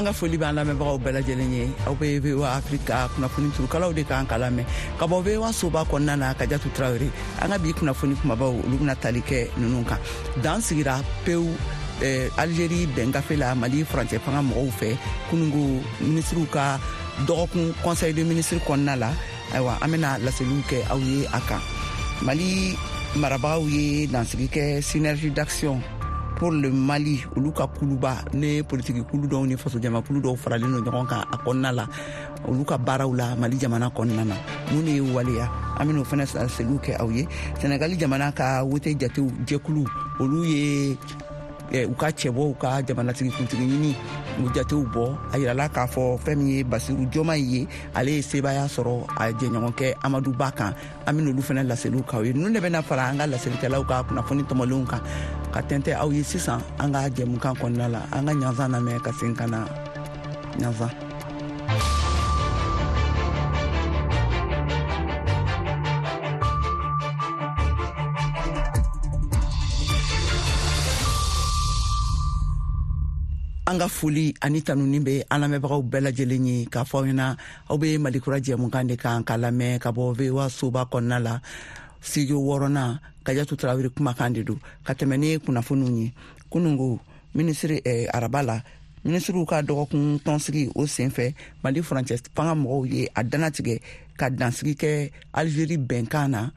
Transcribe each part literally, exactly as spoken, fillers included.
An ka foli b'an lamɛnbagaw bɛɛ lajɛlen ye. Aw bɛ V O A Afrika kunnafoni turukalaw de kan k'a lamɛn ka bɔ V O A soba kɔnɔna na. Kajatu Tarawele, an ka bi kunnafoni kumabaw, olu bɛna tali kɛ ninnu kan. Dan sigira pewu eh, Algérie bɛngafe la Mali furancɛ fanga mɔgɔw fɛ kunungo minisiriw ka dɔgɔkun conseil de ministre kɔnɔna la. Ayiwa, an bɛna laseliw kɛ aw ye a kan. Mali marabagaw ye dansigi kɛ Synergie d'action pour le Mali, olu ka kuluba ne politiki kulu dɔw ni fasojamakulu dɔw faralen don ɲɔgɔn kan a kɔnɔna la, olu ka baaraw la Mali jamana kɔnɔna na. Mun de ye waleya, an bɛn'o fana laseliw kɛ aw ye. Senegali jamana ka wote jatew jɛkulu, olu ye u ka cɛbɔw ka jamanatigi kuntigi ɲini u jatew bɔ. A yirala k'a fɔ fɛn min ye Basiru Jomayi ye, ale ye sebaaya sɔrɔ a jɛɲɔgɔnkɛ Amadu Ba kan. An bɛn'olu fana laseliw k'aw ye. Ninnu de bɛna fara an ka laselikɛlaw ka kunnafoni tɔmɔlenw kan ka tɛntɛ aw ye sisan an ka jɛmukan kɔnɔna la. An ka ɲanzan lamɛn ka segin ka na ɲanzan. An ka foli ani tanuni bɛ an lamɛnbagaw bɛɛ lajɛlen ye k'a fɔ aw ɲɛna aw bɛ Malikura jɛmukan de kan k'a lamɛn ka bɔ V O A soba kɔnɔna la, studio wɔɔrɔnan. Kajatu Tarawele kumakan de don ka tɛmɛ ni kunnafoniw ye. Kunungo minisiri eh, araba la, minisiriw ka dɔgɔkun tɔnsigi o senfɛ, Mali furancɛ fanga mɔgɔw ye a dannatigɛ ka dansigi kɛ Algérie bɛnkan na,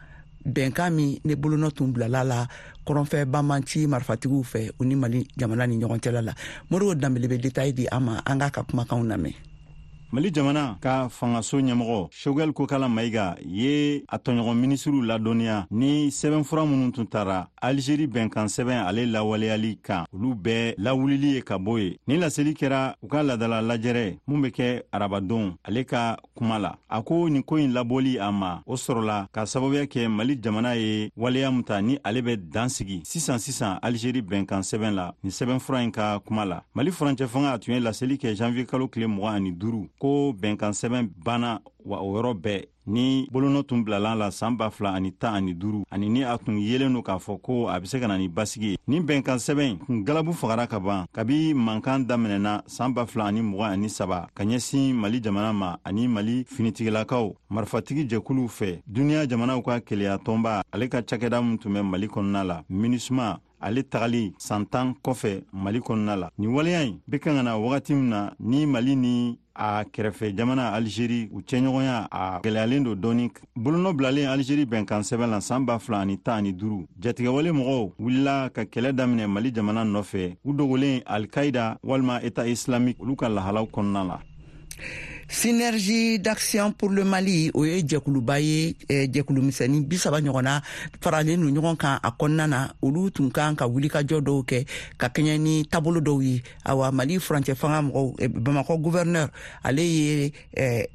bɛnkan min ne bolonɔ tun bilala la kɔrɔnfɛ banbanci marifatigiw fɛ u ni Mali jamana ni ɲɔgɔn cɛla la. Moribo Danbele bɛ détail di an ma, an k'a ka kumakanw lamɛn. Mali jamana ka fangaso ɲɛmɔgɔ Choguel Kokala Maïga ye a tɔɲɔgɔn minisiriw ladɔnniya ni sɛbɛnfura minnu tun tara Algérie bɛnkan sɛbɛn ale lawaleyali kan, olu bɛɛ lawulili ye ka bɔ ye. Ni laseli kɛra u ka ladala lajɛrɛ mun bɛ kɛ arabadon ale ka kuma la. A ko nin ko in labɔli a ma, o sɔrɔla ka sababuya kɛ Mali jamana ye waleya mun ta ni ale bɛ dan sigi sisan sisan Algérie bɛnkan sɛbɛn la. Nin sɛbɛnfura in ka kuma la, Mali furancɛ fanga a tun ye laseli kɛ janvier kalo tile mugan ani duuru ko bɛnkan sɛbɛn banna, wa o yɔrɔ bɛɛ ni bolonɔ tun bilala la san ba fila ani tan ani duuru, ani ni a tun yelen don k'a fɔ ko a bɛ se ka na ni basigi ye. Nin bɛnkan sɛbɛn kun galabu fagara ka ban kabi mankan daminɛna san ba fila ani mugan ani saba ka ɲɛsin Mali jamana ma ani Mali finitigilakaw marifatigi jɛkuluw fɛ. Duniya jamanaw ka keleya tɔnba ale ka cakɛda min tun bɛ Mali kɔnɔna la, MINUSMA, ale tagali san tan kɔfɛ Mali kɔnɔna la. Nin waleya in bɛ kan ka na wagati min na ni Mali ni a kɛrɛfɛ jamana Algérie u cɛɲɔgɔnya a gɛlɛyalen don dɔɔni. Bolonɔ bilalen Algérie bɛnkan sɛbɛn la san ba fila ani tan ani duuru, jatigɛwale mɔgɔw wulila ka kɛlɛ daminɛ Mali jamana nɔfɛ, u dogolen Al-Qaïda walima État islamique olu ka lahalaw kɔnɔna la. Synergie d'action pour le Mali, o ye jɛkuluba ye, jɛkulu misɛnnin bi saba ɲɔgɔnna faralen don ɲɔgɔn kan a kɔnɔna na. Olu tun kan ka wulikajɔ dɔw kɛ ka kɛɲɛ ni taabolo dɔw ye. Awa, Mali furancɛ fanga mɔgɔw, Bamakɔ gouverneur, ale ye eh,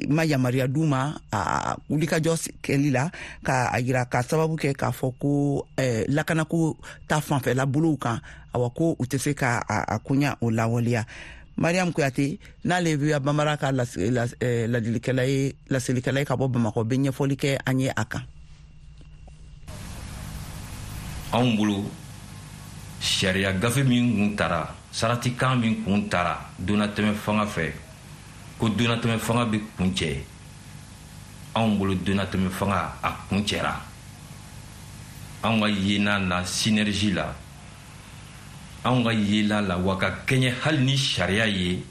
ma yamaruya d'u ma a wulikajɔ kɛli la, ka a yira ka sababu kɛ k'a fɔ ko eh, lakanako ta fanfɛla bolow kan, awa ko u tɛ se ka a, a koɲa o lawaleya. Mariam Kuyate, n'ale bɛ Bambara ka ladilikɛla ye, laselikɛla ye ka bɔ Bamakɔ, bɛ ɲɛfɔli kɛ an ye a kan. Anw bolo, sariya gafe min kun tara, saratikan min kun tara donnatɛmɛ fanga fɛ, ko donnatɛmɛ fanga bɛ kun cɛ, anw bolo donnatɛmɛ fanga a kun cɛra. Anw ka yena na synergie la, anw ka yela la, wa ka kɛɲɛ hali ni sariya ye,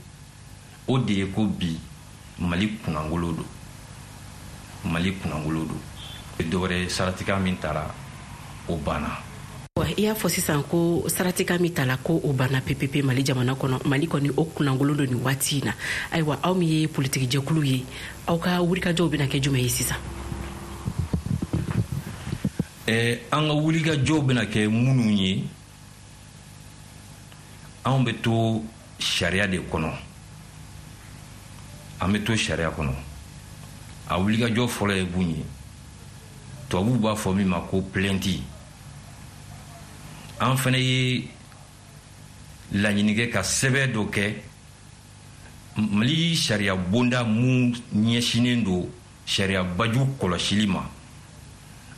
o de ye ko bi Mali kunnangolo don, Mali kunnangolo don. Dɔwɛrɛ saratikan min tara, o banna. I y'a fɔ sisan ko saratikan min tala ko o banna pepepe Mali jamana kɔnɔ. Mali kɔni o kunnangolo don nin waati in na. Ayiwa, aw min ye politikijɛkulu ye, aw ka wulikajɔw bɛna kɛ jumɛn ye sisan? Ɛɛ, an ka wulikajɔw bɛna kɛ minnu ye, anw bɛ to sariya de kɔnɔ, an bɛ to sariya kɔnɔ. A wulikajɔ fɔlɔ ye mun ye? Tubabuw b'a fɔ min ma ko plainte. An fana ye laɲini kɛ ka sɛbɛn dɔ kɛ Mali sariya bonda mun ɲɛsinnen don sariya baju kɔlɔsili ma.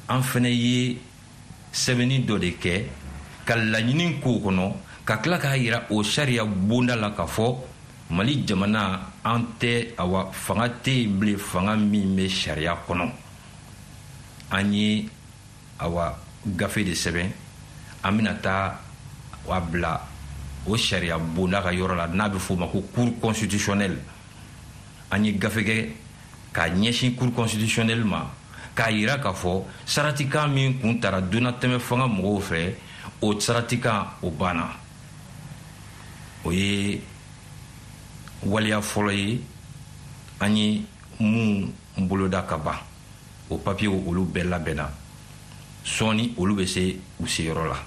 An fana ye sɛbɛnni dɔ de kɛ ka laɲini k'o kɔnɔ, ka tila k'a yira o sariya bonda la k'a fɔ Mali jamana an tɛ, awa, fanga tɛ yen bilen, fanga min bɛ sariya kɔnɔ. An ye, awa, gafe de sɛbɛn, an bɛna taa a bila o sariya bonda ka yɔrɔ la n'a bɛ f'o ma ko Cour constitutionnelle. An ye gafe kɛ k'a ɲɛsin Cour constitutionnelle ma, k'a yira k'a fɔ saratikan min kun tara donnatɛmɛ fanga mɔgɔw fɛ, o saratikan o banna. O ye waleya fɔlɔ ye an ye mun boloda ka ban. O papiyew, olu bɛɛ labɛnna, sɔɔni olu bɛ se u seyɔrɔ la.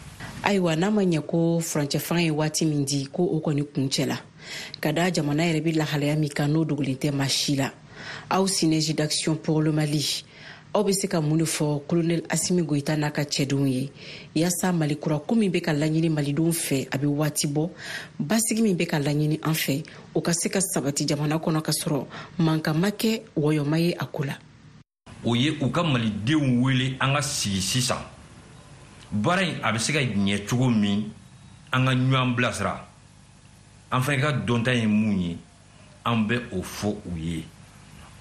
Ayiwa, n'a ma ɲɛ ko furancɛ fanga ye waati min di, ko o kɔni kuncɛla, ka da jamana yɛrɛ bɛ lahalaya min kan, n'o dogolen tɛ maa si la, aw Synergie d'action pour le Mali, aw bɛ se ka mun de fɔ Colonel Asimi Goyita n'a ka cɛdenw ye, yaasa Mali kura ko min bɛ ka laɲini malidenw fɛ a bɛ waati bɔ, basigi min bɛ ka laɲini an fɛ, o ka se ka sabati jamana kɔnɔ, ka sɔrɔ mankan ma kɛ, wɔyɔma ye a ko la? O ye u ka malidenw wele, an ka sigi sisan, baara in a bɛ se ka ɲɛ cogo min, an ka ɲɔgɔn bilasira. An fana ka dɔnta ye mun ye, an bɛ o fɔ u ye.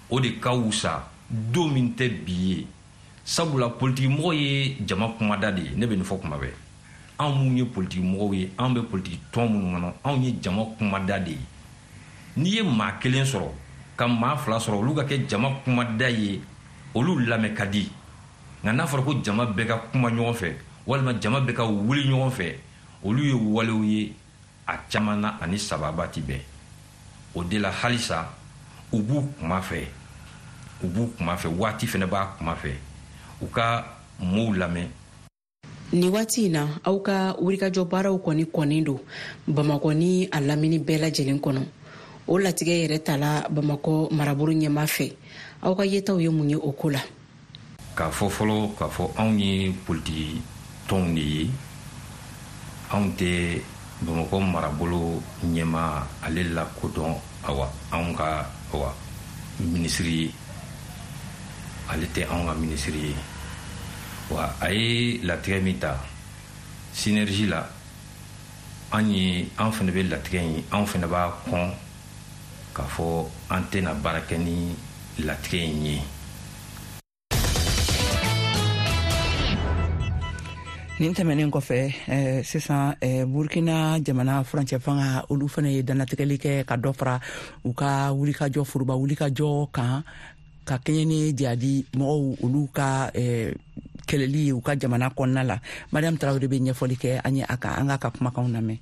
O de ka wusa don min tɛ bi ye, sabula politikimɔgɔ ye jama kumada de ye. Ne bɛ nin fɔ kuma bɛɛ: anw mun ye politikimɔgɔw ye, anw bɛ politiki tɔn minnu kɔnɔ, anw ye jama kumada de ye. N'i ye maa kelen sɔrɔ ka maa fila sɔrɔ, olu ka kɛ jama kumada ye, olu lamɛn ka di. Nka n'a fɔra ko jama bɛɛ ka kuma ɲɔgɔn fɛ, walima jama bɛɛ ka wuli ɲɔgɔn fɛ, olu ye walew ye a caman na ani sababa ti bɛn. O de la, halisa u b'u kuma fɛ, u b'u kuma fɛ, waati fɛnɛ b'a kuma fɛ, u ka mɔɔw lamɛn. Nin waati in na, aw ka wulikajɔ baaraw kɔni kɔnnen don Bamakɔ ni a lamini bɛɛ lajɛlen kɔnɔ. O latigɛ yɛrɛ tala Bamakɔ marabolo ɲɛma fɛ. Aw ka yetaw ye mun ye o ko la? K'a fɔ fɔlɔ k'a fɔ anw ye politiki tɔnw de ye, anw tɛ Bamakɔ marabolo ɲɛma ale lakodɔn. Awa, anw ka, awa, minisiri ye, ale tɛ anw ka minisiri ye. Wa a ye latigɛ min ta Synergie la, an ye, an fana bɛ latigɛ in, anw fana b'a kɔn k'a fɔ an tɛna baara kɛ ni latigɛ in ye. Nin tɛmɛnen kɔfɛ, eh, sisan eh, Burkina jamana furancɛ fanga, olu fana ye dannatigɛli kɛ ka dɔ fara u ka wulikajɔ, foroba wulikajɔ kan, ka kɛɲɛ ni jihadi mɔgɔw olu ka eh, kɛlɛli ye u ka jamana kɔnɔna la. Mariam Tarawele bɛ ɲɛfɔli kɛ an ye a kan, an k'a ka kumakanw lamɛn.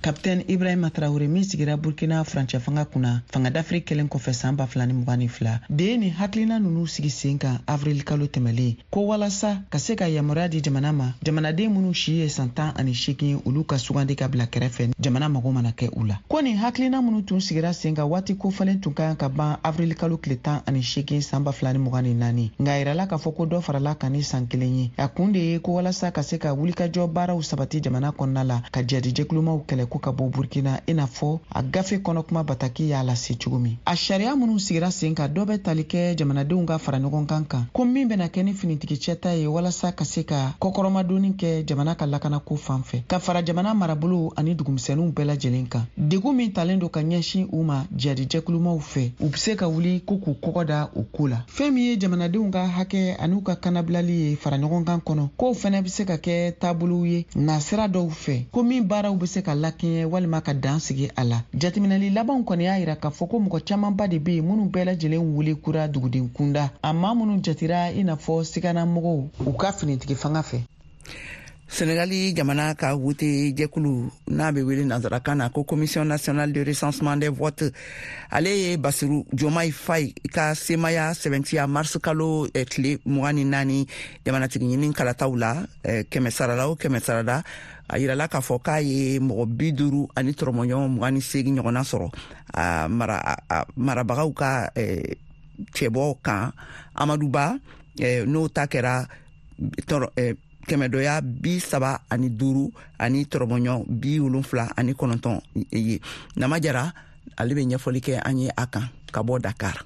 Kapitɛn Ibrahima Traore min sigira Burkina furancɛ fanga kunna fanga dafiri kɛlen kɔfɛ san ba fila ni mugan ni fila de ye nin hakilina ninnu sigi sen kan avril kalo tɛmɛlen, ko walasa ka se ka yamaruya di jamana ma, jamanaden minnu si ye san tan ani seegin ye, olu ka sugandi ka bila kɛrɛfɛ jamana mago mana kɛ u la. Ko nin hakilina minnu tun sigira sen kan, waati kofɔlen tun ka kan ka ban avril kalo tile tan ani seegin san ba fila ni mugan ni naani, nka a yirala k'a fɔ ko dɔ farala kan ni san kelen ye. A kun de ye ko walasa ka se ka wulikajɔ baaraw sabati jamana kɔnɔna la, ka jadijɛkulumaw kɛlɛ ko ka bɔ Burkina, i n'a fɔ a gafe kɔnɔ kuma bataki y'a lase cogo min. A sariya minnu sigira sen kan, dɔ bɛ tali kɛ jamanadenw ka fara ɲɔgɔn kan kan ko min bɛna kɛ ni finitigi cɛta ye, walasa ka se ka kɔkɔrɔmadonni kɛ jamana ka lakanako fan fɛ, ka fara jamana marabolow ani dugumisɛnninw bɛɛ lajɛlen kan. Degun min talen don ka ɲɛsin u ma jadijɛkulumaw fɛ, u be se ka wuli ko k'u kɔgɔ da o ko la. Fɛn min ye jamanadenw ka hakɛ an'u ka kanabilali ye fara ɲɔgɔn kan kɔnɔ, k'o fɛnɛ be se ka kɛ taabolow ye nasira dɔw fɛ, ko min baaraw be se ka lakɛɲɛ walima ka dan sigi a la. Jateminɛli labanw kɔni y'a yira k'a fɔ ko mɔgɔ camanba de be yen minnu bɛɛ lajɛlen wele kura duguden kunda, a maa minnu jatira i n'a fɔ siganamɔgɔw u ka finitigi fanga fɛ. Senegali jamana ka wote jɛkulu n'a bɛ wele nansarakan na ko Commission nationale de recensement des votes, ale ye Basiru Jomayi Fayi ka semaya sɛbɛntiya mars kalo eh, tile mugan ni naani jamanatigi ɲini kalataw la. eh, kɛmɛ sarala o kɛmɛ sarala, a yirala k'a fɔ k'a ye mɔgɔ bi duuru ani tɔrɔmɔɲɔgɔn mugan ni seegin ɲɔgɔnna sɔrɔ a mara a marabagaw ka eh, cɛbɔ kan Amadu Ba, eh, n'o ta kɛra tɔrɔ eh, kɛmɛdɔya bi saba ani duuru ani tɔrɔmɔɲɔ bi wolonfila ani kɔnɔntɔn ye. Nama Jara, ale bɛ ɲɛfɔli kɛ an ye a kan ka bɔ Dakar.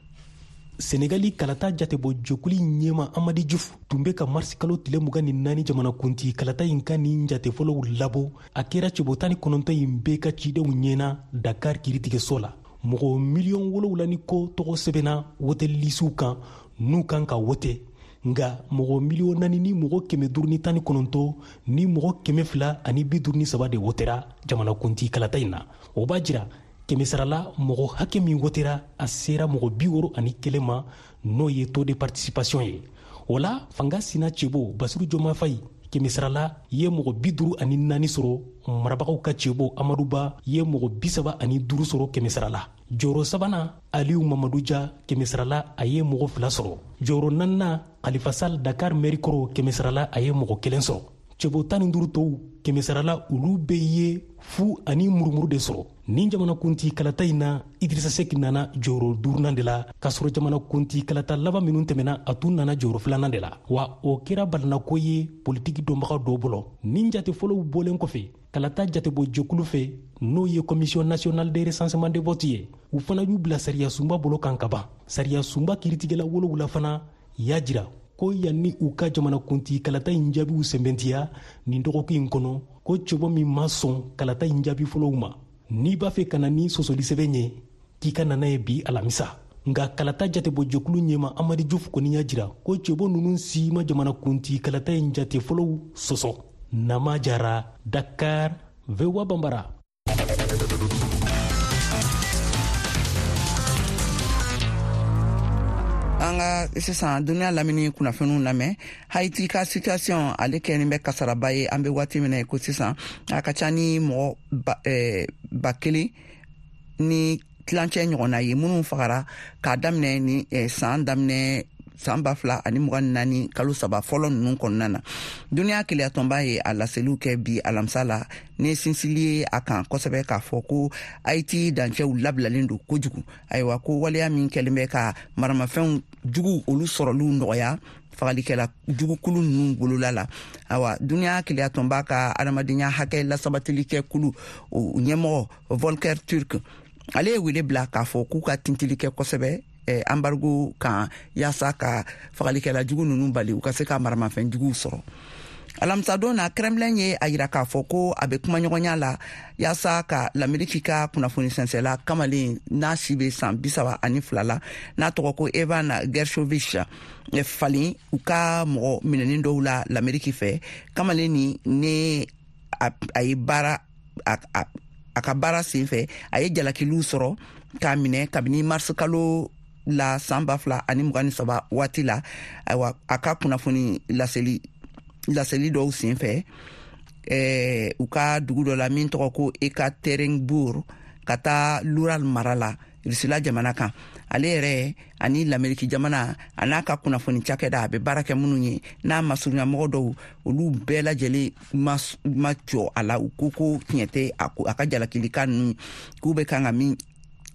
Senegali kalata jatebɔ jɛkulu ɲɛma Amadi Jufu tun bɛ ka marisi kalo tile mugan ni naani jamanakuntigi kalata in ka nin jate fɔlɔw labɔ. A kɛra cɛbɔ tan ni kɔnɔntɔn in bɛɛ ka cidenw ɲɛna Dakar kiritigɛso la. Mɔgɔ miliyɔn wolonwula ni kɔ tɔgɔ sɛbɛnna wote lisiw kan n'u kan ka wote, nka mɔgɔ miliyɔn naani ni mɔgɔ kɛmɛ duuru ni tan ni kɔnɔntɔn ni mɔgɔ kɛmɛ fila ani bi duuru ni saba de wotera jamanakuntigi kalata in na. O b'a jira kɛmɛsarala mɔgɔ hakɛ min wotera a sera mɔgɔ bi wɔɔrɔ ani kelen ma, n'o ye taux de participation ye. O la fanga sina cɛbɔ Basiru Joma Fayi kɛmɛsarala ye mɔgɔ bi duuru ani naani sɔrɔ, marabagaw ka cɛbɔ Amadu Ba ye mɔgɔ bi saba ani duuru sɔrɔ kɛmɛsarala. Jɔyɔrɔ sabanan Aliyu Mamadu Ja kɛmɛsarala a ye mɔgɔ fila sɔrɔ. Jɔyɔrɔ naaninan Khalifa Sall Dakar mairie kɔrɔ kɛmɛsarala a ye mɔgɔ kelen sɔrɔ. Cɛbɔ tan ni duuru tɔw kɛmɛsarala olu bɛɛ ye fu ani murumuru de sɔrɔ. Nin jamanakuntigi kalata in na, Idrissa Seck nana jɔyɔrɔ duurunan de la, k'a sɔrɔ jamanakuntigi kalata laban minnu tɛmɛna a tun nana jɔyɔrɔ filanan de la. Wa o kɛra balinako ye politiki dɔnbaga dɔw bolo. Nin jate fɔlɔw bɔlen kɔfɛ kalata jatebɔ jɛkulu fɛ, n'o ye Commission nationale de recensement des votes ye, u fana y'u bila sariya sunba bolo kan ka ban. Sariya sunba kiiritigɛla wolowula fana y'a jira ko yanni u ka jamanakuntigi kalata in jaabiw sɛmɛntiya nin dɔgɔkun in kɔnɔ, ko cɛbɔ min ma sɔn kalata in jaabi fɔlɔw ma, n'i b'a fɛ ka na ni sɔsɔlisɛbɛn ye, k'i ka nana ye bi alamisa. Nka kalata jatebɔ jɛkulu ɲɛma Amadu Jufu kɔni y'a jira ko cɛbɔ ninnu si ma jamanakuntigi kalata in jate fɔlɔw sɔsɔ. Nama Jara, Dakar, V O A Bambara. An ka sisan duniya lamini kunnafoniw lamɛn. Haiti ka situation ale kɛlen bɛ kasaraba ye an bɛ waati min na ko sisan. A ka ca ni mɔgɔ ba, eh, ba kelen ni tilancɛ ɲɔgɔnna ye minnu fagara k'a daminɛ ni eh, san daminɛ san ba fila ani mugan ni naani kalo saba fɔlɔ ninnu kɔnɔna na. Duniya keleyatɔnba ye a laseliw kɛ bi alamisa la ni sinsili ye a kan kosɛbɛ k'a fɔ ko Haiti dancɛw labilalen don kojugu. Ayiwa, ko waleya min kɛlen bɛ ka maramafɛnw jugu olu sɔrɔliw nɔgɔya fagalikɛla jugukulu ninnu bolola la. Ayiwa, duniya keleyatɔnba ka adamadenya hakɛ lasabatili kɛ kulu o ɲɛmɔgɔ Volker Turk ale ye wele bila k'a fɔ k'u ka tintili kɛ kosɛbɛ embargo kan yaasa ka fagalikɛla jugu ninnu bali u ka se ka maramafɛn juguw sɔrɔ. Alamisadon na, Kremlin ye a yira k'a fɔ ko a bɛ kumaɲɔgɔnya la yaasa ka Lameriki ka kunnafoni sɛnsɛla kamalen n'a si bɛ san bi saba ani fila la, n'a tɔgɔ ko Evan Gershkovich falen u ka mɔgɔ minɛnen dɔw la Lameriki fɛ. Kamalen nin ne a ye baara a, a, a ka baara sen fɛ a ye jalakiliw sɔrɔ k'a minɛ kabini mars kalo la san ba fila ani mugan ni saba waati la. Ayiwa, a ka kunnafoni laseli laseli dɔw sen fɛ eh, u ka dugu dɔ la min tɔgɔ ko Ekaterinbourg ka taa Lural mara la Rusila jamana kan. Ale yɛrɛ ani Lameriki jamana a n'a ka kunnafoni cakɛda a bɛ baara kɛ minnu ye n'a masurunyamɔgɔ dɔw olu bɛɛ lajɛlen ma, ma jɔ a la. U ko ko tiɲɛ tɛ a ka jalakilikan ninnu k'u bɛ kan ka min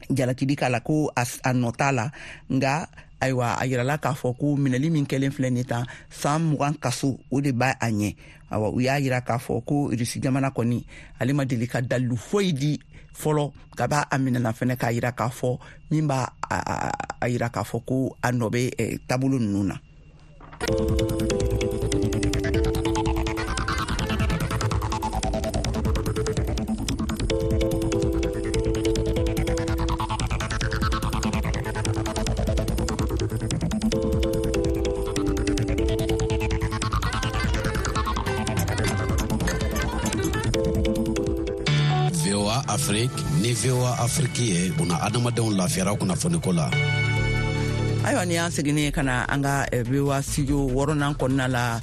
jalakili k'a la ko a nɔ t'a la. Nka ayiwa, a yirala k'a fɔ ko minɛli min kɛlen filɛ nin tan san mugan kaso o de b'a a ɲɛ. Awa, u y'a yira k'a fɔ ko Rusi jamana kɔni ale ma deli ka dalilu foyi di fɔlɔ ka b'a a minɛna fɛnɛ k'a yira k'a fɔ min b'a a yira k'a fɔ ko a nɔ bɛ taabolo ninnu na. Afrique ni V O A Afrique ye buna adamadenw lafiyara kunnafoniko la. Ayiwa, ni y'an seginnen ka na an ka V O A studio wɔɔrɔnan kɔnɔna la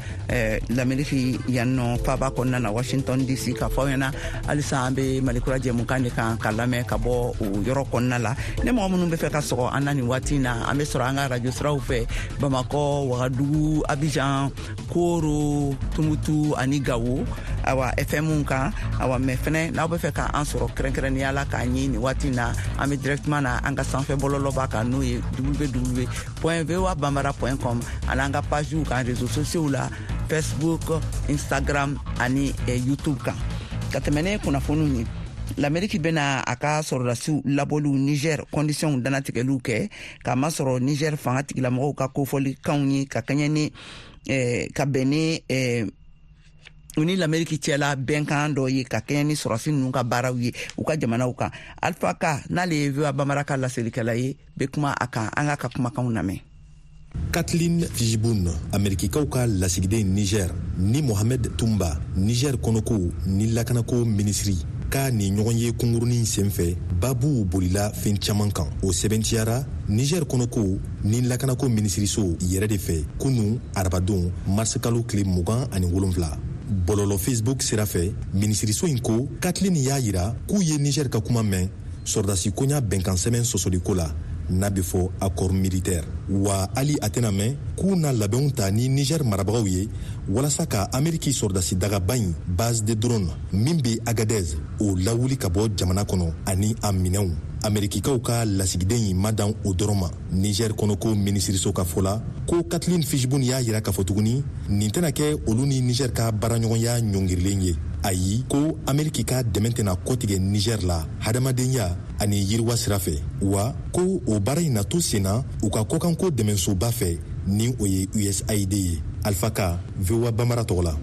Lameriki yan nɔ faaba kɔnɔna na Washington D C, k'a fɔ aw ɲɛna halisa an bɛ Malikura jɛmukan de kan ka lamɛn ka bɔ o yɔrɔ kɔnɔna la. Ni mɔgɔ minnu bɛ fɛ ka sɔgɔ an na nin waati in na, an bɛ sɔrɔ an ka radio siraw fɛ Bamakɔ, Wagadugu, Abidjan, Koro, Tumutu ani Gawo, awa F M kan. Awa, mɛ fɛnɛ n'aw bɛ fɛ k'an sɔrɔ kɛrɛnkɛrɛnnenya la k'an ye nin waati in na, an bɛ directement na an ka sanfɛ bɔlɔlɔba kan n'o ye w w w point voa bambara point com ani an ka pagew kan réseaux sociaux la Facebook, Instagram ani eh, YouTube kan. Ka tɛmɛ ne kunnafoniw ye, Lameriki bɛna a ka sɔrɔdasiw labɔliw Niger conditions dannatigɛliw kɛ k'a masɔrɔ Niger fanga tigilamɔgɔw ka kofɔlikanw ye ka kɛɲɛ ni eh, ka bɛn ni eh, U ni l'Amérique cɛla bɛnkan dɔ ye ka kɛɲɛ ni sɔrɔsi ninnu ka baaraw ye u ka jamanaw kan. Alpha Ka, n'ale ye V O A Bambara ka laselikɛla ye, bɛ kuma a kan. An k'a ka kumakanw lamɛn. Kathleen Fishbun, Amerikikaw ka lasigiden Niger, ni Mohamed Tumba, Niger kɔnɔko ni lakanako minisiri ka nin ɲɔgɔn ye kunkurunin senfɛ, babuw bolila fɛn caman kan. O sɛbɛntiyara Niger kɔnɔko ni lakanako minisiriso yɛrɛ de fɛ kunu arabadon marisikalo tile mugan ani wolonfila bɔlɔlɔ Facebook sira fɛ. Minisiriso in ko Kathleen y'a yira k'u ye Niger ka kuma mɛn sɔrɔdasi koɲa bɛnkan sɛbɛn sɔsɔliko la, n'a bɛ fɔ accord militaire, wa hali a tɛna mɛn k'u na labɛnw ta ni Niger marabagaw ye walasa ka Ameriki sɔrɔdasi dagaba in, base de drone min bɛ Agadez, o lawuli ka bɔ jamana kɔnɔ ani a minɛnw. Amerikikaw ka lasigiden in ma dan o dɔrɔn ma. Niger kɔnɔko minisiriso ka fɔ la ko Kathleen Fishbun y'a yira k'a fɔ tuguni nin tɛna kɛ olu ni Niger ka baaraɲɔgɔnya ɲɔngirilen ye. Ayi, ko Ameriki ka dɛmɛ tɛna kɔtigɛ Niger la hadamadenya ani yiriwa sira fɛ, wa ko o baara in na to sen na u ka kɔkanko dɛmɛsoba fɛ, ni o ye U S A I D ye. Alpha Ka, V O A Bambara tɔgɔ la.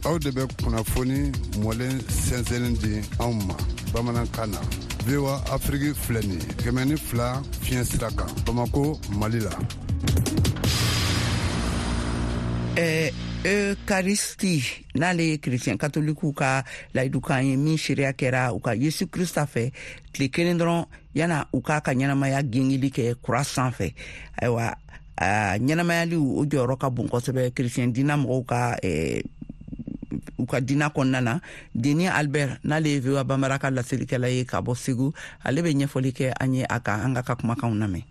Aw de bɛ kunnafoni mɔlen sɛnsɛnni di anw ma bamanankan na. V O A Afiriki filɛ nin ye, kɛmɛ ni fila fiɲɛ sira kan, Bamako, Mali la. Eh, Eucharistie, n'ale ye chrétien katolikiw ka layidukan ye min seereya kɛra u ka Yesu Krista fɛ tile kelen dɔrɔn yana u k'a ka ɲɛnamaya gengeli kɛ kura sanfɛ. Ayiwa, ɲɛnamayaliw o jɔyɔrɔ ka bon kosɛbɛ chrétien dina mɔgɔw ka eh, u ka dina kɔnɔna na. Deni Albert, n'ale ye V O A Bambara ka laselikɛla ye ka bɔ Segu, ale bɛ ɲɛfɔli kɛ an ye a kan. An ka ka kumakanw lamɛn.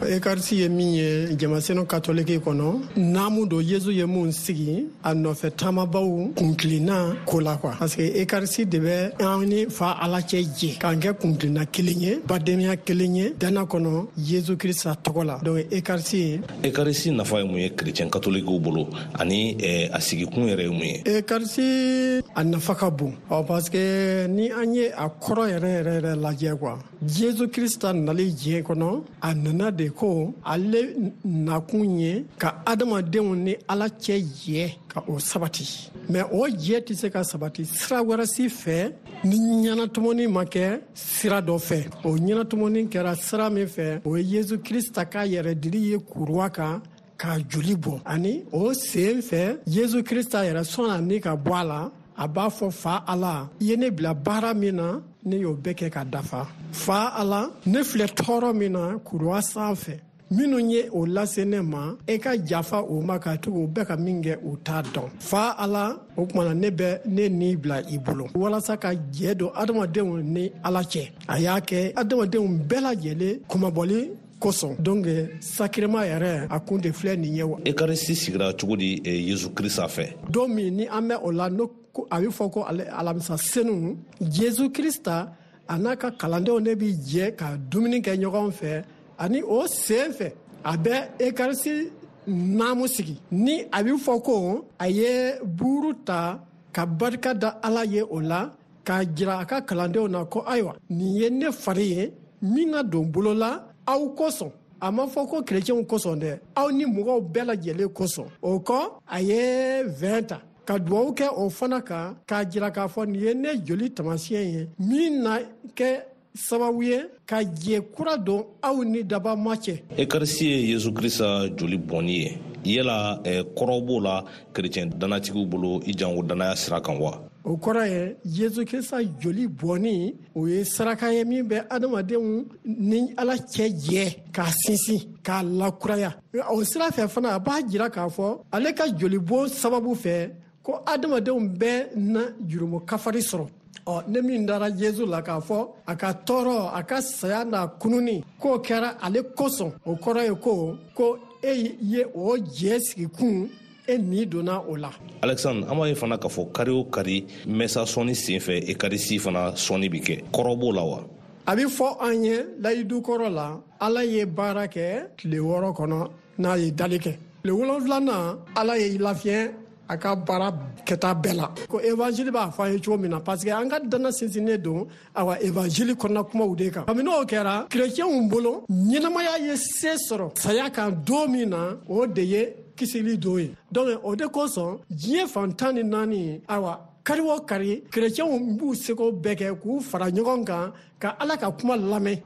Ekarisi ye min ye jamasenu katoliki kɔnɔ, naamu don Yesu ye mun sigi a nɔfɛ taamabaw kunkilenna ko la quoi, parce que ekarisi de bɛ an ni fa Ala cɛ jɛ k'an kɛ kunkilenna kelen ye, badenya kelen ye dana kɔnɔ Yesu Krista tɔgɔ la. Donc ekarisi. Ekarisi nafa ye mun ye kerecɛn katolikiw bolo, ani eh, a sigikun yɛrɛ ye mun ye? Ekarisi a nafa ka bon ɔ, parce que ni an ye a kɔrɔ yɛrɛ yɛrɛ yɛrɛ lajɛ quoi, Yesu Krista nali diɲɛ kɔnɔ, a nana de ko ale nakun ye ka adamadenw ni Ala cɛ jɛ ka o sabati. Mais o jɛ tɛ se ka sabati sira wɛrɛ si fɛ ni ɲɛnatɔmɔni ma kɛ sira dɔ fɛ. O ɲɛnatɔmɔni kɛra sira min fɛ, o ye Yesu Krista ka yɛrɛdili ye kuruwa kan k'a joli bɔ. Ani o sen fɛ, Yesu Krista yɛrɛ sɔnna ni ka bɔ a la, a b'a fɔ: "Fa Ala, i ye ne bila baara min na, ne y'o bɛɛ kɛ ka dafa. Fa Ala, ne filɛ tɔɔrɔ min na kuruwa sanfɛ, minnu ye o lase ne ma, e ka jafa o ma, ka tugu o bɛɛ ka min kɛ, u t'a dɔn. Fa Ala, o tuma na ne bɛ ne ni bila i bolo." Walasa ka jɛ don adamadenw ni Ala cɛ, a y'a kɛ adamadenw bɛɛ lajɛlen kunmabɔli kosɔn. Donc sacrement yɛrɛ a kun de filɛ nin ye wa. Ekarisi sigira cogo di eh, Yesu Krista fɛ? Don min ni an bɛ o la, no a bɛ fɔ ko alamisa senu, Yesu Krista a n'a ka kalandenw de bi jɛ ka dumuni kɛ ɲɔgɔn fɛ. Ani o sen fɛ, a bɛ ekarisi naamu sigi, ni a bɛ fɔ ko a ye buuru ta ka barika da Ala ye o la, k'a jira a ka kalandenw na ko ayiwa, nin ye ne fari ye min na don bolo la aw kosɔn. A ma fɔ ko kerecɛnw kosɔn dɛ, aw ni mɔgɔw bɛɛ lajɛlen kosɔn. O kɔ, a ye vɛn ta ka duwawu kɛ o fana kan, k'a jira k'a fɔ nin ye ne joli taamasiyɛn ye min na kɛ sababu ye ka jɛ kura don aw ni dabama cɛ. Ekarisi ye Yesu Krista joli bɔnni ye. Yala eh, kɔrɔ b'o la kerecɛn dannatigiw bolo i janko dannaya sira kan wa? O kɔrɔ ye Yesu Krista joli bɔnni, o ye saraka ye min bɛ adamadenw ni Ala cɛ jɛ k'a sinsin, k'a lakuraya. O sira fɛ fana, a b'a jira k'a fɔ ale ka jolibɔn sababu fɛ ko adamadenw bɛɛ na jurumu kafari sɔrɔ. Ɔ, ne min dara Yesu la k'a fɔ a ka tɔɔrɔ, a ka saya n'a kununi k'o kɛra ale kosɔn, o kɔrɔ ye ko ko e ye o jɛ sigikun, e ni donna o la. Alexandre, an b'a ye fana k'a fɔ kari o kari mɛsa sɔnni sen fɛ, ekarisi fana sɔnni bi kɛ. Kɔrɔ b'o la wa? A bɛ fɔ an ye layidu kɔrɔ la, Ala ye baara kɛ tile wɔɔrɔ kɔnɔ n'a ye dali kɛ. Tile wolonfilanan, Ala ye lafiɲɛ a ka baara kɛta bɛɛ la, ko evanjili b'a fɔ an ye cogo min na, parce que an ka dana sinsinnen don awa evanjili kɔnɔna kumaw de kan. Kabini o kɛra, kerecɛnw bolo, ɲɛnamaya ye se sɔrɔ saya kan don min na, o de ye kisili don ye. Donc o de kosɔn diɲɛ fan tan ni naani, ayiwa, kari o kari, kerecɛnw b'u seko bɛɛ kɛ k'u fara ɲɔgɔn kan ka Ala ka kuma lamɛn.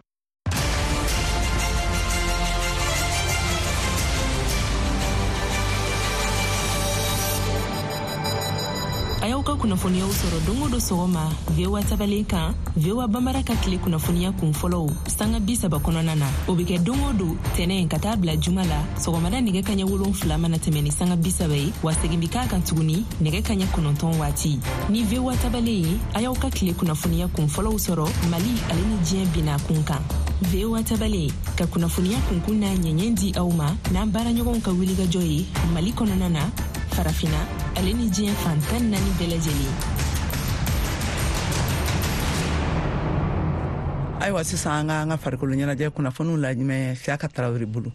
A y'aw ka kunnafoniyaw sɔrɔ don o don sɔgɔma V O A tabalen kan, V O A Bambara ka tile kunnafoniya kun fɔlɔw sanga bi saba kɔnɔna na. O bɛ kɛ don o don tɛnɛ ka taa bila juma la sɔgɔmada nɛgɛ kaɲɛ wolonfila mana tɛmɛ ni sanga bi saba ye, wa segin bɛ k'a kan tuguni nɛgɛ kaɲɛ kɔnɔntɔn waati. Ni V O A tabalen ye, a y'aw ka tile kunnafoniya kun fɔlɔw sɔrɔ Mali ale ni diɲɛ binna kun kan. V O A tabalen ka kunnafoniya kunkun n'a ɲɛɲɛ di aw ma n'an baaraɲɔgɔnw ka wulikajɔ ye Mali kɔnɔna na, Farafina ale ni diɲɛ fan tan naani bɛɛ lajɛlen. Ayiwa, sisan an ka an ka farikolo ɲɛnajɛ kunnafoniw lajɛ Siyaka Tarawele bolo.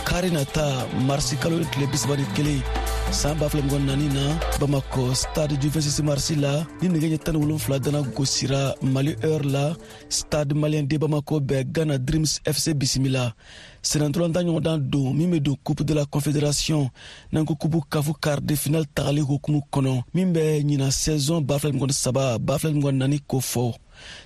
Kari nata marisi kalo tile bi saba ni kelen san ba fila mugan naani na, Bamakɔ stade du vingt-six mars la, ni nɛgɛ ɲɛ tan ni wolonfila dana gosira Mali heure la, Stade Malien de Bamako bɛ Ghana Dreams F C bisimila. Senatɔlɔntan ɲɔgɔndan don min bɛ don Coupe de la Confédération n'an ko Coupe CAF quart de finale tagali hukumu kɔnɔ min bɛ ɲinan saison ba fila mugan ni saba ba fila mugan naani ko fɔ.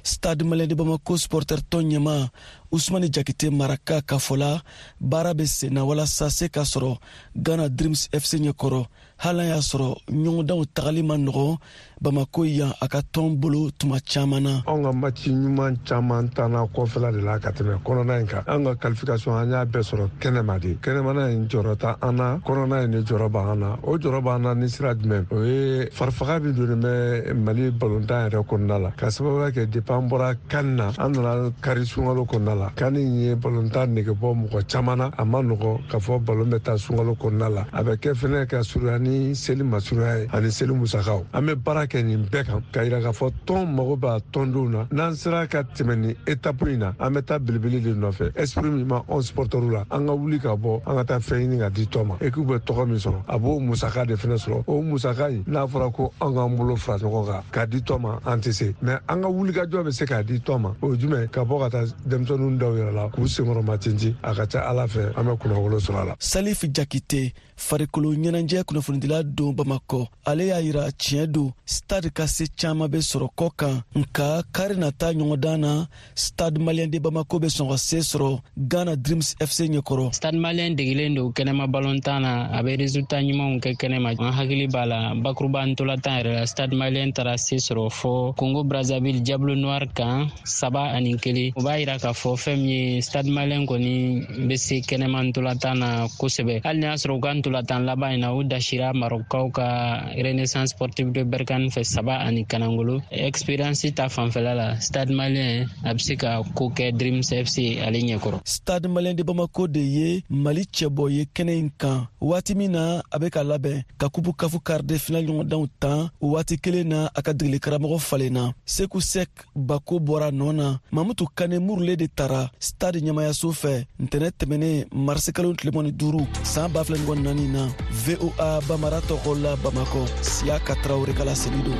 Stade Malien de Bamako supporter tɔn ɲɛma Usmani Jakite Maraka ka fɔ la, baara bɛ sen na walasa se ka sɔrɔ Ghana Dreams F C ɲɛkɔrɔ, hali n'a y'a sɔrɔ ɲɔgɔndanw tagali ma nɔgɔn Bamako yan a ka tɔn bolo tuma caman na. Anw ka match ɲuman caman tanna kɔfɛla de la ka tɛmɛ kɔnɔna in kan. An ka qualification an y'a bɛɛ sɔrɔ kɛnɛma de. Kɛnɛmana in jɔyɔrɔ tɛ an na, kɔnɔna in de jɔyɔrɔ b'an na. O jɔyɔrɔ b'an na ni sira jumɛn? O ye farifaga min donnen bɛ Mali balontan yɛrɛ kɔnɔna la. Ka sababuya kɛ depuis an bɔra CAN na, an nana kari sunkalo kɔnɔna la. CAN in ye balontan nege bɔ mɔgɔ caman na. A ma nɔgɔn k'a fɔ balon bɛ taa sunkalo kɔnɔna la. A bɛ kɛ fɛnɛ ka surunya ni seli masurunya ye ani seli musakaw. An bɛ baara kɛ nin bɛɛ kan ka yira k'a fɔ tɔn mago b'a tɔndenw na. N'an sera ka tɛmɛ nin étape in na, an bɛ taa belebele de nɔfɛ. Esprit min b'anw supporters la, an ka wuli ka bɔ, an ka taa fɛn ɲini ka di tɔn ma. Équipe bɛ tɔgɔ min sɔrɔ, a b'o musaka de fɛnɛ sɔrɔ. O musaka in, n'a fɔra ko an k'an bolo fara ɲɔgɔn kan k'a di tɔn ma, an tɛ se. Mais an ka wulikajɔ bɛ se k'a di tɔn ma. O ye jumɛn? Ka bɔ ka taa denmisɛnninw daw yɛrɛ la k'u senkɔrɔma tintin. A ka ca Ala fɛ, an bɛ kunnawolo sɔrɔ a la. Salif Jakite, farikolo ɲɛnajɛ kunnafonidila don Bamakɔ, ale y'a yira tiɲɛ don stade ka se caman bɛ sɔrɔ kɔ kan, nka kari nata ɲɔgɔndan na Stade Malien de Bamako bɛ sɔn ka se sɔrɔ Ghana Dreams F C ɲɛkɔrɔ. Stade Malien degelen don kɛnɛma balontan na, a bɛ résultat ɲumanw kɛ kɛnɛma. An hakili b'a la bakuruba ntolatan yɛrɛ la, Stade Malien taara se sɔrɔ fɔ Congo Brazzaville Diable Noir kan saba ani kelen. O b'a yira k'a fɔ fɛn min ye Stade Malien kɔni bɛ se kɛnɛma ntolatan na kosɛbɛ. Hali n'a y'a sɔrɔ u ka ntolatan laban in na, u dasira Marokaw ka Renaissance Sportive de Berkane fɛ saba ani kanangolo. Expérience ta fanfɛla la, Stade Malien a bɛ se ka ko kɛ Dreams F C ale ɲɛkɔrɔ. Stade Malien de Bamako de ye Mali cɛbɔ ye kɛnɛ in kan waati min na a bɛ ka labɛn ka Coupe CAF quart de finale ɲɔgɔndanw tan. O waati kelen na, a ka degeli karamɔgɔ falenna. Seku Sek Bako bɔra nɔ na. Mamutu Kane Murule de tara Stade ɲɛmayaso fɛ ntɛnɛ tɛmɛnen marisi kalo tile mugan ni duuru san ba fila mugan ni naani na. V O A Bamara tɔgɔ la Bamakɔ, Siyaka Tarawele ka laseli don.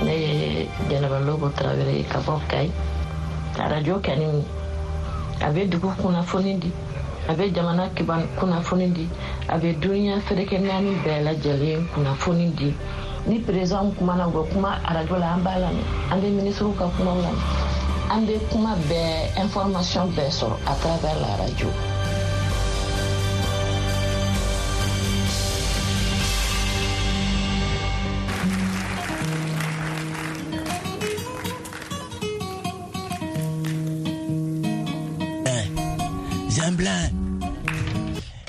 Ne ye Jɛnɛba Lobo Tarawele ka bɔ Kayi. Arajo kɛni a bɛ dugu kunnafoni di, a bɛ jamana kiban kunnafoni di, a bɛ duniya ferekɛ naani bɛɛ lajɛlen kunnafoni di. Ni président kumana, u bɛ kuma arajo la, an b'a lamɛn. An bɛ minisiriw ka kumaw lamɛn. An bɛ kuma bɛɛ, information bɛɛ sɔrɔ à travers la radio. Zemblan.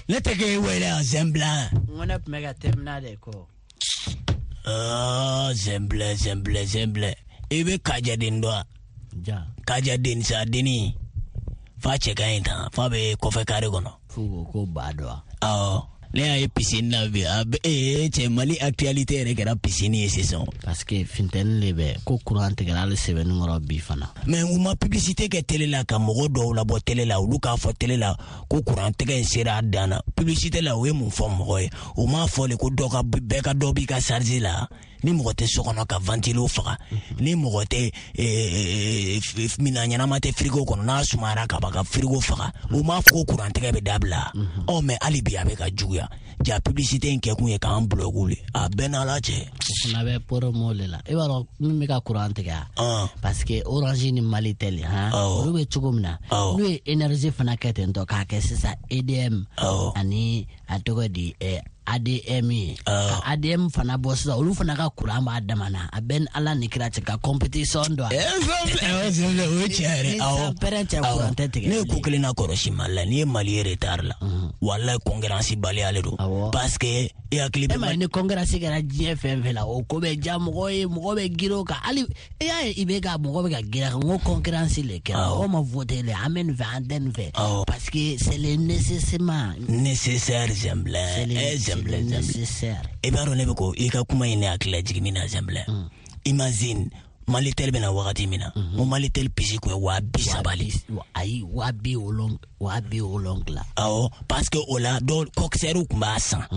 Ne tɛ k'e wele yan Zemblan. N ko ne tun bɛ ka terminal de kɔ. Ɔɔ Zemblan Zemblan Zemblan. I bɛ Kajaden dɔn wa? Ja. Kajaden sa denni. Fa cɛ ka ɲi tan, fa bɛ kɔfɛ kare kɔnɔ. F'u ko ko ba dɔn wa? Awɔ. Ne y'a ye piscine na bi, a bɛ ee cɛ, Mali actualité yɛrɛ kɛra piscine ye sisan. Parce que funteni de bɛ ko courant tigɛra hali sɛbɛnni kɔrɔ bi fana. Mais u ma publicité kɛ télé la ka mɔgɔ dɔw labɔ télé la, olu k'a fɔ télé la ko courant tigɛ in sera a dan na. Publicité la, u ye mun fɔ mɔgɔ ye? U m'a fɔ de ko dɔ ka bɛɛ ka dɔ b'i ka charge la, ni mɔgɔ tɛ so kɔnɔ ka ventilo faga, ni mɔgɔ tɛ minan ɲɛnama tɛ frigo kɔnɔ, n'a sumayara ka ban ka frigo faga. U m'a fɔ ko courant tigɛ bɛ dabila. Ɔ mais hali bi a bɛ ka juguya. Ja publicité in kɛkun ye k'an bloquer le, a bɛɛ n'Ala cɛ. O fana bɛ promo de la. I b'a dɔn min bɛ ka courant tigɛ, parce que Orange ni Malitel han, olu bɛ cogo min na, n'u ye énergie fana kɛ ten tɔ k'a kɛ sisan E D M ani a tɔgɔ di A D M ye, ka A D M fana bɔ sisan, olu fana ka courant b'a dama na. A bɛ ni Ala ni kira cɛ ka compétition dɔn. O ye tiɲɛ yɛrɛ. Awɔ, pɛrɛn cɛ, courant tɛ tigɛ. Ne ye ko kelen na kɔlɔsi Mali la, n'i ye Mali ye retard la, walayi concurrence baliya le don. Parce que e hakili bɛ. E ma ye ni concurrence kɛra diɲɛ fɛn fɛn la, o ko bɛ diya mɔgɔ ye, mɔgɔ bɛ girin o kan. Hali e y'a ye i bɛ ka mɔgɔ bɛ ka girin a kan, n ko concurrence le kɛra. Mɔgɔ ma voté le, an bɛ nin fɛ, an tɛ nin fɛ. Parce que c'est le nécessairement. Nécessaire Zɛnbilɛ. Nécessaire. I b'a dɔn ne bɛ ko i ka kuma in ne hakili lajigin min na Zɛnbilɛ. Imagine Malitel bɛna wagati min na, n ko Malitel pisi kun ye waa bi saba le. Ayi, waa bi wolonwula, waa bi wolonwula. Awɔ, parce que o la dɔw coxeur tun b'a san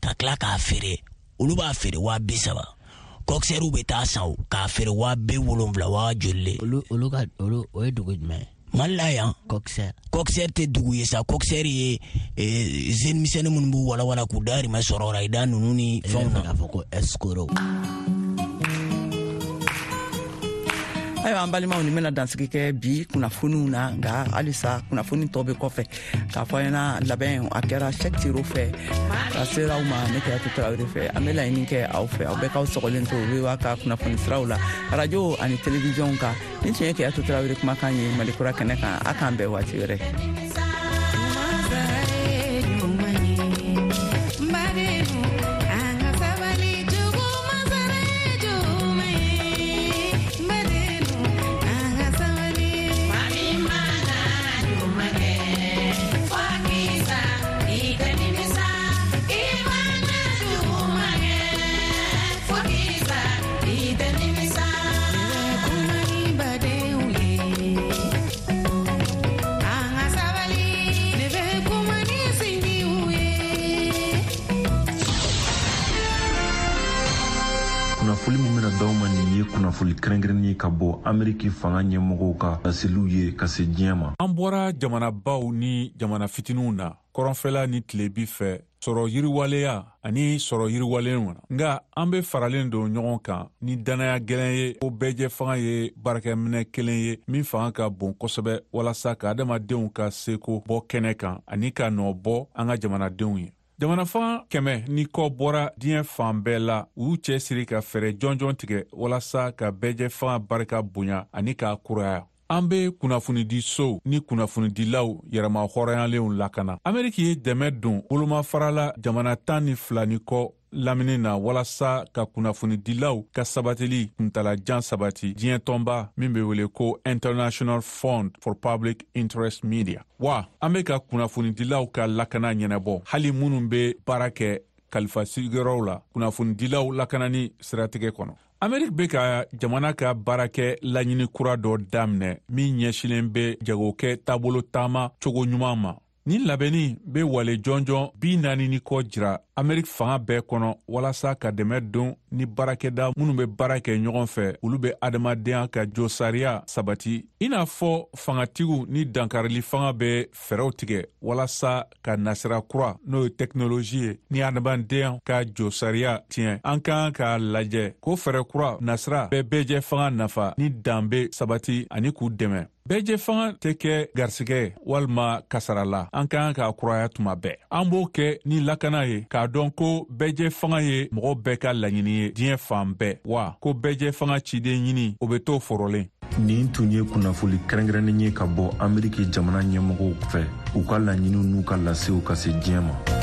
ka tila k'a feere, olu b'a feere waa bi saba. Coxeur bɛ taa san o k'a feere waa bi wolonwula, waa joli le. Olu olu ka olu o ye dugu jumɛn ye? Mali la yan. Coxeur. Coxeur tɛ dugu ye sa, coxeur ye jeune misɛnnin minnu b'u walawala k'u dahirimɛ sɔrɔ o la, i da ninnu ni fɛnw na. E bɛ fɛ k'a fɔ ko escroc. Ayiwa an balimaw, nin bɛna dansigi kɛ bi kunnafoniw na, nka halisa kunnafoni tɔ bɛ kɔfɛ k'a fɔ an ɲɛna. Labɛn a kɛra Sɛki Tiro fɛ ka sera aw ma, ne Kɛyatu Tarawele fɛ. An bɛ laɲini kɛ aw fɛ, aw bɛɛ k'aw sɔgɔlen to V O A ka kunnafoni siraw la, arajo ani télévision kan. Nin tun ye Kɛyatu Tarawele kumakan ye Mali kura kɛnɛ kan. A k'an bɛn waati wɛrɛ. Kunnafoli min bɛna d'aw ma nin ye kunnafoli kɛrɛnkɛrɛnnen ye ka bɔ Ameriki fanga ɲɛmɔgɔw ka laseliw ye ka se diɲɛ ma. An bɔra jamanabaw ni jamana fitininw na, kɔrɔnfɛla ni tilebi fɛ, sɔrɔ yiriwaleya ani sɔrɔ yiriwalenw na. Nka an be faralen don ɲɔgɔn kan ni dannaya gɛlɛn ye ko bɛɛjɛ fanga ye baarakɛminɛ kelen ye min fanga ka bon kosɛbɛ walasa ka adamadenw ka seko bɔ kɛnɛ kan ani ka nɔ bɔ an ka jamanadenw ye. Jamana fanga kɛmɛ ni kɔ bɔra diɲɛ fan bɛɛ la, u y'u cɛsiri ka fɛɛrɛ jɔnjɔn tigɛ walasa ka bɛɛjɛ fanga barika bonya ani k'a kuraya. An be kunnafonidisow ni kunnafonidilaw yɛrɛma hɔrɔnyalenw lakana. Ameriki ye dɛmɛ don bolomafarala jamana tan ni fila ni kɔ lamini na walasa ka kunnafonidilaw ka sabatili kuntalajan sabati diɲɛ tɔnba min be wele ko International Fund for Public Interest Media. Wa an be ka kunnafonidilaw ka lakana ɲɛnabɔ, hali minnu be baara kɛ kalifa sigiyɔrɔw la kunnafonidilaw lakanani siratigɛ kɔnɔ. Ameriki bɛ ka jamana ka baarakɛ laɲini kura dɔ daminɛ min ɲɛsinnen bɛ jagokɛ taabolo taama cogo ɲuman ma. Nin labɛnni bɛ wale jɔnjɔn bi naani ni kɔ jira Ameriki fanga bɛɛ kɔnɔ walasa ka dɛmɛ don ni baarakɛda minnu bɛ baara kɛ ɲɔgɔn fɛ, olu bɛ adamadenya ka josariya sabati, i n'a fɔ fangatigiw ni dankarili fanga bɛ fɛɛrɛw tigɛ walasa ka nasira kura n'o ye tɛkinolozi ye ni adamadenya ka josariya tiɲɛ. An kan k'a lajɛ ko fɛɛrɛ kura nasira bɛ bɛɛjɛ fanga nafa ni danbe sabati ani k'u dɛmɛ. Bɛɛjɛ fanga tɛ kɛ garisigɛ walima kasara la, an kan k'a kuraya tuma bɛɛ. An b'o kɛ ni lakana ye k'a dɔn ko bɛɛjɛ fanga ye mɔgɔ bɛɛ ka laɲini ye diɲɛ fan bɛɛ, wa ko bɛɛjɛ fanga ciden ɲini o bɛ to forolen. Nin tun ye kunnafoli kɛrɛnkɛrɛnnen ye ka bɔ Ameriki jamana ɲɛmɔgɔw fɛ, u ka laɲiniw n'u ka lasew ka se diɲɛ ma.